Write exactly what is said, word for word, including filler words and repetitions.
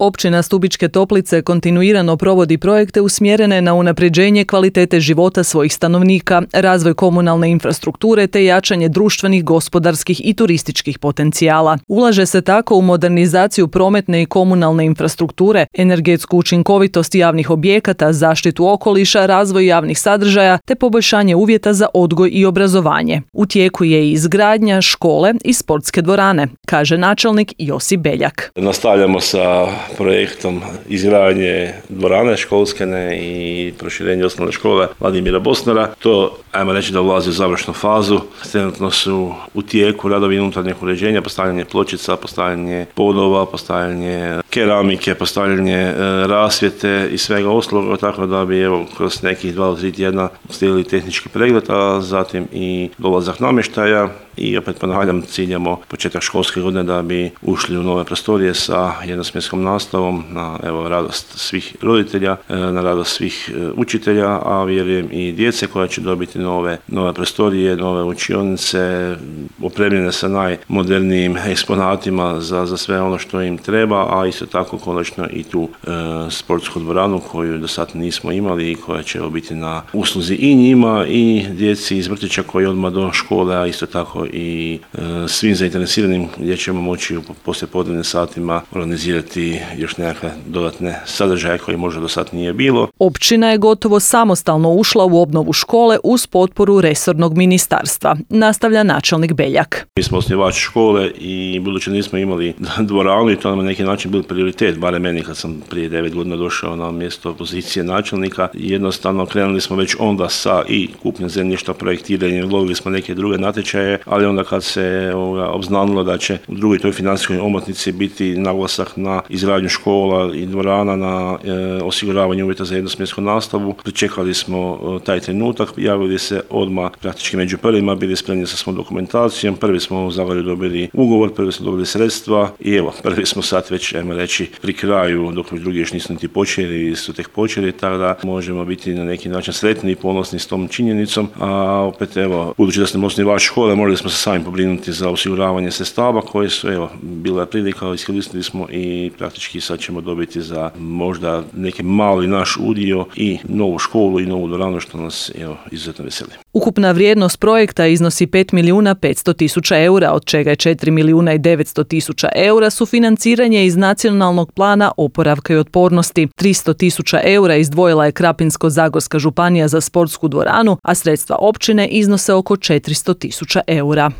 Općina Stubičke Toplice kontinuirano provodi projekte usmjerene na unapređenje kvalitete života svojih stanovnika, razvoj komunalne infrastrukture te jačanje društvenih, gospodarskih i turističkih potencijala. Ulaže se tako u modernizaciju prometne i komunalne infrastrukture, energetsku učinkovitost javnih objekata, zaštitu okoliša, razvoj javnih sadržaja te poboljšanje uvjeta za odgoj i obrazovanje. U tijeku je i izgradnja škole i sportske dvorane, kaže načelnik Josip Beljak. Nastavljamo sa projektom izgradnje dvorane školskene i proširenje osnovne škole Vladimira Bosnara. To, ajmo reći, da ulazi u završnu fazu. Trenutno su u tijeku radovi unutarnjeg uređenja, postavljanje pločica, postavljanje podova, postavljanje keramike, postavljanje e, rasvjete i svega ostalog, tako da bi evo kroz nekih dva do tri tjedna stigli tehnički pregled, a zatim i dolazak namještaja. I opet ponavljam, ciljamo početak školske godine da bi ušli u nove prostorije sa jednosmjenskom nastavom na evo radost svih roditelja, na radost svih učitelja, a vjerujem i djece koja će dobiti nove, nove prostorije, nove učionice, opremljene sa najmodernijim eksponatima za, za sve ono što im treba, a isto tako konačno i tu e, sportsku dvoranu koju do sad nismo imali i koja će biti na usluzi i njima i djeci iz vrtića koji odmah do škole, a isto tako i e, svim zainteresiranim gdje ćemo moći u poslijepodnevnim satima organizirati još nekakve dodatne sadržaje koje možda do sad nije bilo. Općina je gotovo samostalno ušla u obnovu škole uz potporu resornog ministarstva, nastavlja načelnik Beljak. Mi smo osnivač škole i budući nismo imali dvoranu i to nam na neki način bil prioritet, barem meni kad sam prije devet godina došao na mjesto pozicije načelnika. Jednostavno krenuli smo već onda sa i kupnjom zemljišta, projektiranjem, lovili smo neke druge natječaje, ali onda kad se ovoga, obznanilo da će u drugoj toj financijskoj omotnici biti naglasak na izgradnju škola i dvorana, na e, osiguravanje uvjeta za jednosmjensku nastavu, pričekali smo e, taj trenutak, javili se odmah praktički među prvima, bili spremni sa svom dokumentacijom, prvi smo u Zagorju dobili ugovor, prvi smo dobili sredstva i evo, prvi smo sad već, ajmo reći, pri kraju, dok drugi još nisu niti počeli, su tek počeli, tako da možemo biti na neki način sretni i ponosni s tom činjenicom, a opet evo, budući da smo osnivač škole, morali smo se sami pobrinuti za osiguravanje sredstava koje su, evo, bila prilika, iskoristili smo i praktički sad ćemo dobiti za možda neki mali naš udio i novu školu i novu dvoranu, što nas, evo, izuzetno veseli. Ukupna vrijednost projekta iznosi pet milijuna petsto tisuća eura, od čega je četiri milijuna i devetsto tisuća eura sufinanciranje iz Nacionalnog plana oporavka i otpornosti. tristo tisuća eura izdvojila je Krapinsko-zagorska županija za sportsku dvoranu, a sredstva općine iznose oko četiristo tisuća eura.